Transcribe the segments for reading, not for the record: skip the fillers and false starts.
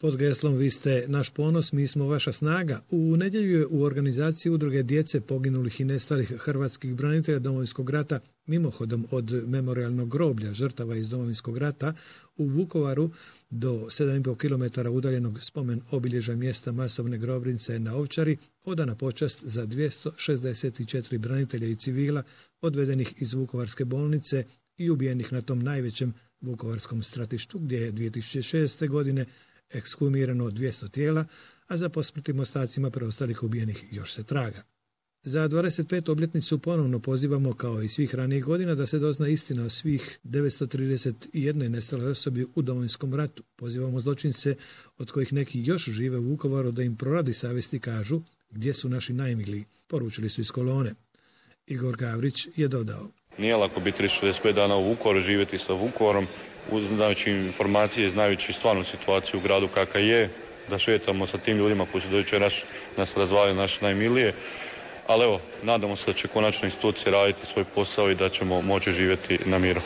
Pod geslom Vi ste naš ponos, mi smo vaša snaga. U nedjelju je u organizaciji udruge djece poginulih i nestalih hrvatskih branitelja Domovinskog rata mimohodom od memorijalnog groblja žrtava iz Domovinskog rata u Vukovaru do 7,5 km udaljenog spomen obilježja mjesta masovne grobnice na Ovčari odana počast za 264 branitelja i civila odvedenih iz Vukovarske bolnice i ubijenih na tom najvećem vukovarskom stratištu gdje je 2006. godine ekshumirano 200 tijela, a za posmrtnim ostacima preostalih ubijenih još se traga. Za 25. obljetnicu ponovno pozivamo, kao i svih ranijih godina, da se dozna istina o svih 931 nestaloj osobi u Domovinskom ratu. Pozivamo zločince, od kojih neki još žive u Vukovaru, da im proradi savjesti kažu gdje su naši najmiliji, poručili su iz kolone. Igor Gavrić je dodao: Nije lako biti 365 dana u Vukovaru, živjeti sa Vukovarom, znajući informacije, znajući stvarnu situaciju u gradu kakva je, da šetamo sa tim ljudima koji su do jučer nas razvalili, naše najmilije. Ali evo, nadamo se da će konačno institucije raditi svoj posao i da ćemo moći živjeti na miru.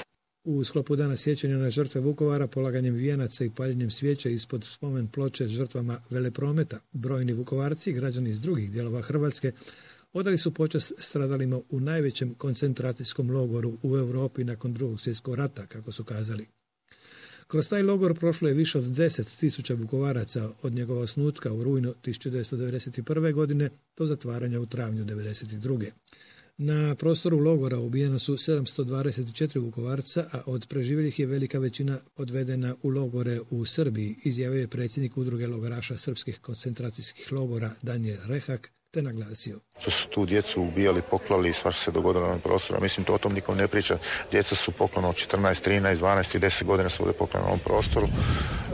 U sklopu dana sjećanja na žrtve Vukovara, polaganjem vijenaca i paljenjem svijeća ispod spomen ploče žrtvama veleprometa, brojni Vukovarci i građani iz drugih dijelova Hrvatske odali su počast stradalima u najvećem koncentracijskom logoru u Europi nakon Drugog svjetskog rata, kako su kazali. Kroz taj logor prošlo je više od 10.000 Vukovaraca od njegova osnutka u rujnu 1991. godine do zatvaranja u travnju 1992. Na prostoru logora ubijeno su 724 Vukovarca, a od preživjelih je velika većina odvedena u logore u Srbiji, izjavio je predsjednik udruge logoraša srpskih koncentracijskih logora Danijel Rehak, te naglasio: Što su tu djecu ubijali, poklali i svašta se dogodilo na ovom prostoru. Mislim, to o tom nikom ne priča. Djeca su poklano od 14, 13, 12 i 10 godina su ovdje poklano na ovom prostoru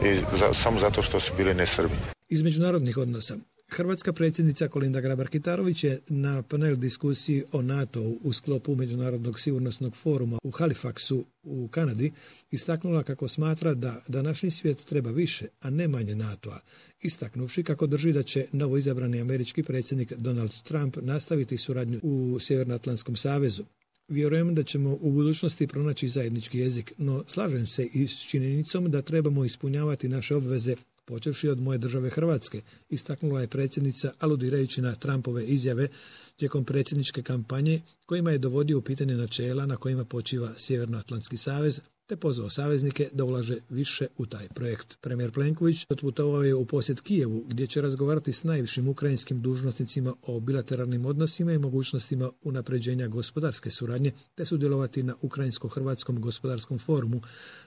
i samo zato što su bili nesrbi. Iz međunarodnih odnosa. Hrvatska predsjednica Kolinda Grabar-Kitarović je na panel diskusiji o NATO-u u sklopu Međunarodnog sigurnosnog foruma u Halifaxu u Kanadi istaknula kako smatra da današnji svijet treba više, a ne manje NATO-a, istaknuvši kako drži da će novoizabrani američki predsjednik Donald Trump nastaviti suradnju u Sjevernoatlantskom savezu. Vjerujem da ćemo u budućnosti pronaći zajednički jezik, no slažem se i s činjenicom da trebamo ispunjavati naše obveze, počevši od moje države Hrvatske, istaknula je predsjednica aludirajući na Trumpove izjave tijekom predsjedničke kampanje kojima je dovodio u pitanje načela na kojima počiva Sjevernoatlantski savez, te pozvao saveznike da ulaže više u taj projekt. Premijer Plenković otputovao je u posjet Kijevu, gdje će razgovarati s najvišim ukrajinskim dužnosnicima o bilateralnim odnosima i mogućnostima unapređenja gospodarske suradnje, te sudjelovati na Ukrajinsko-Hrvatskom gospodarskom forumu,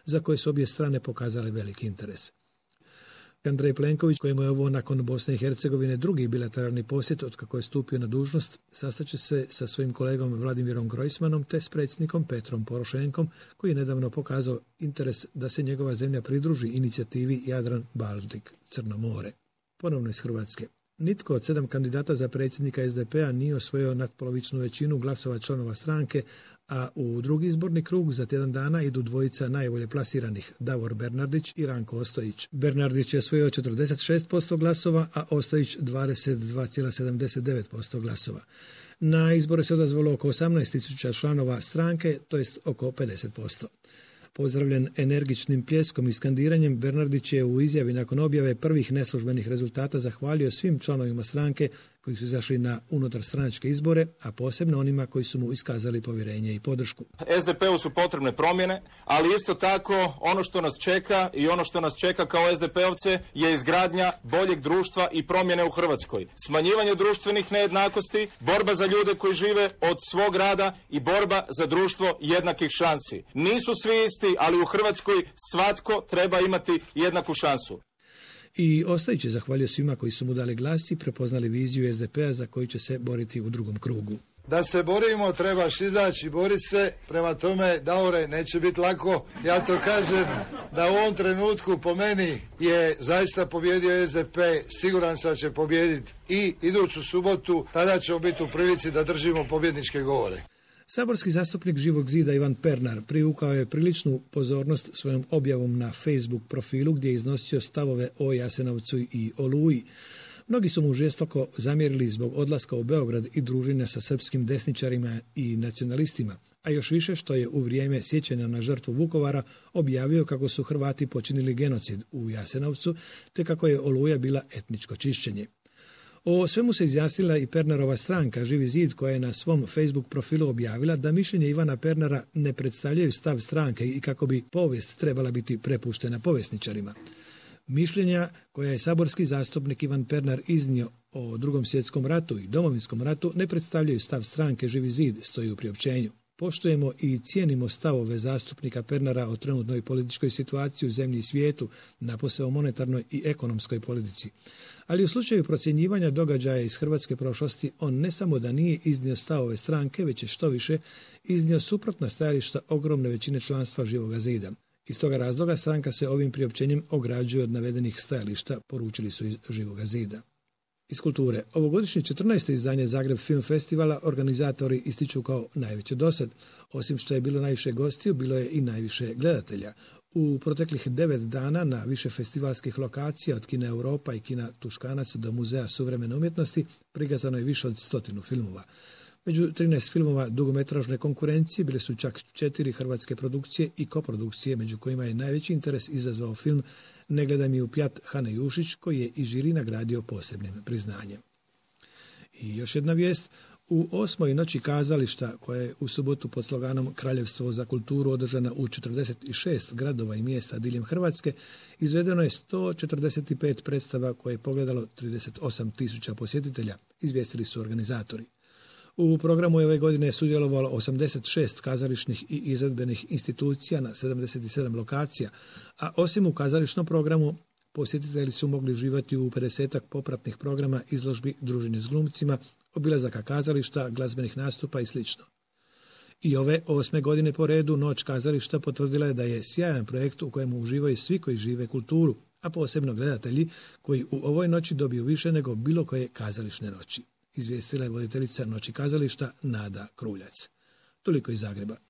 za koje su obje strane pokazale veliki interes. Andrej Plenković, kojemu je ovo nakon Bosne i Hercegovine drugi bilateralni posjet od kako je stupio na dužnost, sastaće se sa svojim kolegom Vladimirom Grojsmanom te s predsjednikom Petrom Porošenkom, koji je nedavno pokazao interes da se njegova zemlja pridruži inicijativi Jadran-Baltik, Crno more. Ponovno iz Hrvatske. Nitko od 7 kandidata za predsjednika SDP-a nije osvojio natpolovičnu većinu glasova članova stranke, a u drugi izborni krug za tjedan dana idu dvojica najbolje plasiranih, Davor Bernardić i Ranko Ostojić. Bernardić je osvojio 46% glasova, a Ostojić 22,79% glasova. Na izbore se odazvalo oko 18.000 članova stranke, to jest oko 50%. Pozdravljen energičnim pljeskom i skandiranjem, Bernardić je u izjavi nakon objave prvih neslužbenih rezultata zahvalio svim članovima stranke koji su izašli na unutarstranačke izbore, a posebno onima koji su mu iskazali povjerenje i podršku. SDP-u su potrebne promjene, ali isto tako ono što nas čeka i ono što nas čeka kao SDP-ovce je izgradnja boljeg društva i promjene u Hrvatskoj. Smanjivanje društvenih nejednakosti, borba za ljude koji žive od svog rada i borba za društvo jednakih šansi. Nisu svi isti, ali u Hrvatskoj svatko treba imati jednaku šansu. I Ostojić je zahvalio svima koji su mu dali glas i prepoznali viziju SDP-a za koju će se boriti u drugom krugu. Da se borimo, trebaš izaći i boriti se, prema tome, Davore, neće biti lako. Ja to kažem da u ovom trenutku po meni je zaista pobjedio SDP, siguran sam da će pobijediti i iduću subotu, tada ćemo biti u prilici da držimo pobjedničke govore. Saborski zastupnik Živog zida Ivan Pernar privukao je priličnu pozornost svojom objavom na Facebook profilu gdje je iznosio stavove o Jasenovcu i Oluji. Mnogi su mu žestoko zamjerili zbog odlaska u Beograd i druženja sa srpskim desničarima i nacionalistima, a još više što je u vrijeme sjećanja na žrtvu Vukovara objavio kako su Hrvati počinili genocid u Jasenovcu, te kako je Oluja bila etničko čišćenje. O svemu se izjasnila i Pernarova stranka Živi zid, koja je na svom Facebook profilu objavila da mišljenje Ivana Pernara ne predstavljaju stav stranke i kako bi povijest trebala biti prepuštena povjesničarima. Mišljenja koja je saborski zastupnik Ivan Pernar iznio o Drugom svjetskom ratu i Domovinskom ratu ne predstavljaju stav stranke Živi zid, stoji u priopćenju. Poštujemo i cijenimo stavove zastupnika Pernara o trenutnoj političkoj situaciji u zemlji i svijetu, napose o monetarnoj i ekonomskoj politici. Ali u slučaju procjenjivanja događaja iz hrvatske prošlosti, on ne samo da nije iznio stavove stranke, već je što više iznio suprotna stajališta ogromne većine članstva Živoga zida. Iz toga razloga stranka se ovim priopćenjem ograđuje od navedenih stajališta, poručili su iz Živoga zida. Iz kulture. Ovogodišnje 14. izdanje Zagreb Film Festivala organizatori ističu kao najveće dosad. Osim što je bilo najviše gostiju, bilo je i najviše gledatelja. U proteklih 9 dana na više festivalskih lokacija od Kina Europa i Kina Tuškanac do Muzeja suvremene umjetnosti prikazano je više od 100 filmova. Među 13 filmova dugometražne konkurencije bile su čak 4 hrvatske produkcije i koprodukcije, među kojima je najveći interes izazvao film Ne gledaj mi u pjat Hane Jušić, koji je i žiri nagradio posebnim priznanjem. I još jedna vijest. U 8. noći kazališta, koja je u subotu pod sloganom Kraljevstvo za kulturu održana u 46 gradova i mjesta diljem Hrvatske, izvedeno je 145 predstava koje je pogledalo 38.000 posjetitelja, izvijestili su organizatori. U programu je ove godine sudjelovalo 86 kazališnih i izvedbenih institucija na 77 lokacija, a osim u kazališnom programu posjetitelji su mogli uživati u 50-ak popratnih programa, izložbi, druženje s glumcima, obilazaka kazališta, glazbenih nastupa i sl. I ove 8. godine po redu Noć kazališta potvrdila je da je sjajan projekt u kojemu uživaju svi koji žive kulturu, a posebno gledatelji koji u ovoj noći dobiju više nego bilo koje kazališne noći. Izvijestila je voditeljica Noći kazališta Nada Kruljac. Toliko iz Zagreba.